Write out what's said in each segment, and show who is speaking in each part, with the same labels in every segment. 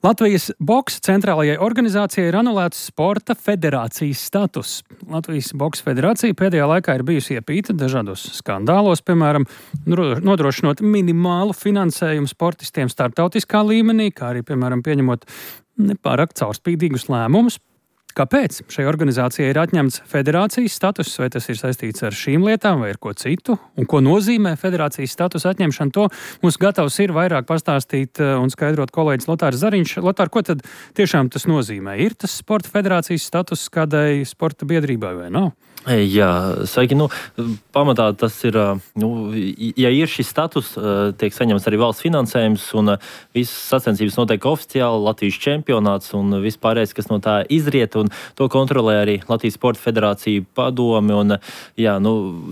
Speaker 1: Latvijas boksa centrālajai organizācijai ir anulēts sporta federācijas status. Latvijas boksa federācija pēdējā laikā ir bijusi iepīta dažādos skandālos, piemēram, nodrošinot minimālu finansējumu sportistiem starptautiskā līmenī, kā arī, piemēram, pieņemot nepārāk caurspīdīgus lēmumus. Kāpēc šai organizācijai ir atņemts federācijas status, vai tas ir saistīts ar šīm lietām vai ar ko citu? Un ko nozīmē federācijas status atņemšana? To mums gatavs ir vairāk pastāstīt un skaidrot kolēģis Lotārs Zariņš. Lotār, ko tad tiešām tas nozīmē? Ir tas sporta federācijas status kādai sporta biedrībai vai nav?
Speaker 2: Jā, sveiki. Pamatā tas ir, ja ir šis status, tiek saņemts arī valsts finansējums un visas sacensības notiek oficiāli, Latvijas čempionāts un vispārējais, kas no tā izriet, un to kontrolē arī Latvijas Sporta Federācija padome, un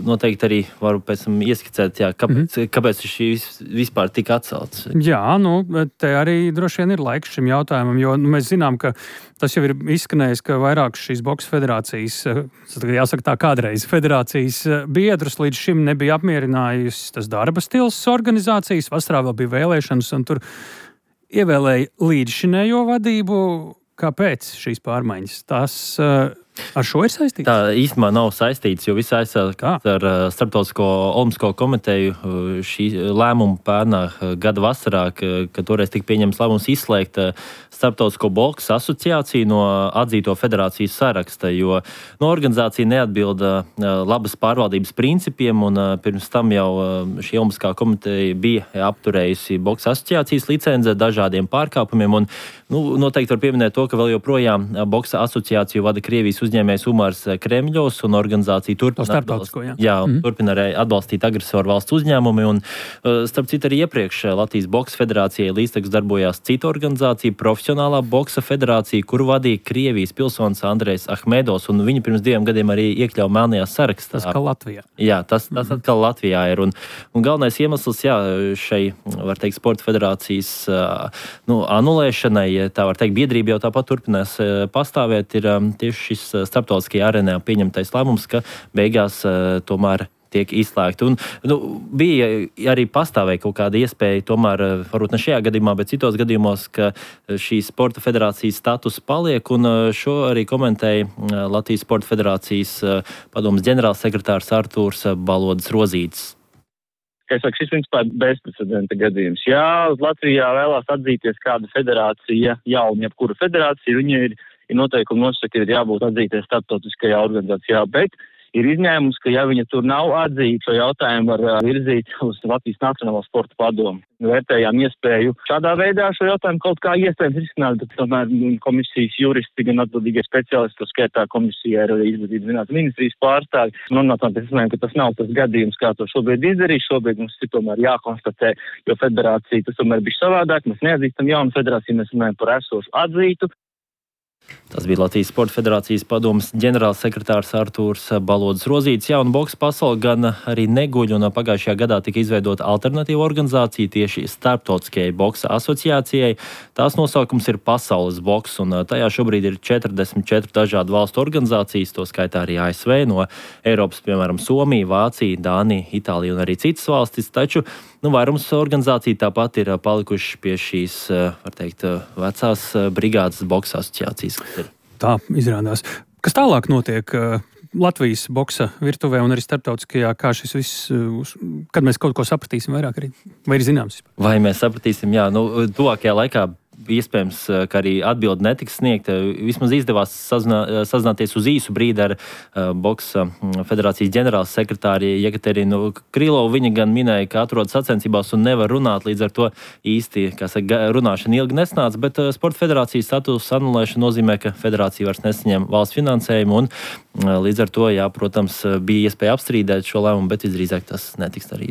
Speaker 2: noteikti arī varu pēc tam ieskicēt, kāpēc šis vispār tika atcelts.
Speaker 1: Jā, te arī droši vien ir laiks šim jautājumam, jo mēs zinām, ka tas jau ir izskanējis, ka vairāk šīs boksa federācijas, jāsaka tā, kādreiz federācijas biedrus līdz šim nebija apmierinājusi tas darba stils organizācijas. Vasarā vēl bija vēlēšanas, un tur ievēlēja līdzšinējo vadību. Kāpēc šīs pārmaiņas? Tas ar šo ir saistīts?
Speaker 2: Tā īstenībā nav saistīts, jo viss aizsākās ar Starptautisko olimpisko komiteju šī lēmumu pērnā gada vasarā, kad toreiz tika pieņemts lēmums izslēgt Starptautisko boksa asociāciju no atzīto federācijas saraksta, jo organizācija neatbilda labas pārvaldības principiem, un pirms tam jau šī olimpiskā komiteja bija apturējusi boksa asociācijas licenci dažādiem pārkāpumiem, un noteikti var pieminēt to, ka vēl joprojām boksa asociāciju vada Krievijas uzņēmējs Umars Kremļovs, un organizācija turpina arī atbalstīt agresoru valsts uzņēmumi, un starp citu arī iepriekš Latvijas boksa federācijai līdztekus darbojās cita organizācija, Profesionālā boksa federācija, kuru vadīja Krievijas pilsonis Andrejs Ahmedovs, un viņi pirms 2 gadiem arī iekļauja melnajā sarakstā.
Speaker 1: Tas kā Latvijā.
Speaker 2: Jā, tas atkal Latvijā ir, un galvenais iemesls, šai, var teikt, sporta federācijas anulēšanai, tā var teikt, biedrība jau tāpat turpinās pastāvēt, ir tieši šis starptautiskajā arēnā pieņemtais lēmums, ka beigās tomēr tiek izslēgti. Un, bija arī pastāvēja kaut kāda iespēja, tomēr, varbūt ne šajā gadījumā, bet citos gadījumos, ka šī sporta federācijas status paliek, un šo arī komentēja Latvijas Sporta Federācijas padomes ģenerālsekretārs Artūrs Balodis Rozītis.
Speaker 3: Es saku, šis principā ir bezprecedenta gadījums. Jā, Latvijā vēlās atzīties kāda federācija, jauna jebkura federācija, viņa ir noteikumi nosaka, ka ir jābūt atzīties starptautiskajā organizācijā, bet ir izņēmums, ka ja viņa tur nav atzīta, šo jautājumu var virzīt uz Latvijas Nacionālo sporta padomu. Vērtējām iespēju šādā veidā šo jautājumu kaut kā iespējams risināt, bet tomēr komisijas juristi, gan atbildīgie speciālisti, to skaitā komisijā ir arī Izglītības zinātnes ministrijas pārstāvji. Nonācām pie secinājuma, ka tas nav tas gadījums, kā to šobrīd izdarīt. Šobrīd mums ir tomēr jākonstatē, jo federācija tas tomēr bija savādāk. Mēs neatzīstam jaunu federāciju, mēs runājam par esošu atzītu.
Speaker 2: Tas bija Latvijas Sporta Federācijas padomes ģenerālsekretārs Artūrs Balodis Rozītis. Un boksa pasaule gan arī neguļ, un pagājušajā gadā tika izveidota alternatīva organizācija tieši Starptautiskajai boksa asociācijai. Tās nosaukums ir Pasaules boks, un tajā šobrīd ir 44 dažādu valstu organizācijas, to skaitā arī ASV, no Eiropas, piemēram, Somija, Vācija, Dānija, Itālija un arī citas valstis, taču vairums organizāciju tāpat ir palikuši pie šīs, var teikt, vecās brigādes boksa asociācijas.
Speaker 1: Tā izrādās. Kas tālāk notiek Latvijas boksa virtuvē un arī starptautiskajā, kā šis viss, kad mēs kaut ko sapratīsim vairāk arī, vai ir zināms?
Speaker 2: Vai mēs sapratīsim, tuvākajā laikā iespējams, ka arī atbildi netiks sniegta. Vismaz izdevās sazināties uz īsu brīdi ar boksa federācijas ģenerāls sekretāri Jekaterinu Krilovu. Viņa gan minēja, ka atrodas sacensībās un nevar runāt, līdz ar to īsti, runāšana ilgi nesnāca, bet sporta federācijas status anulēšana nozīmē, ka federācija vairs nesaņem valsts finansējumu, un līdz ar to, protams, bija iespēja apstrīdēt šo lēmumu, bet visdrīzāk tas netiks darīts.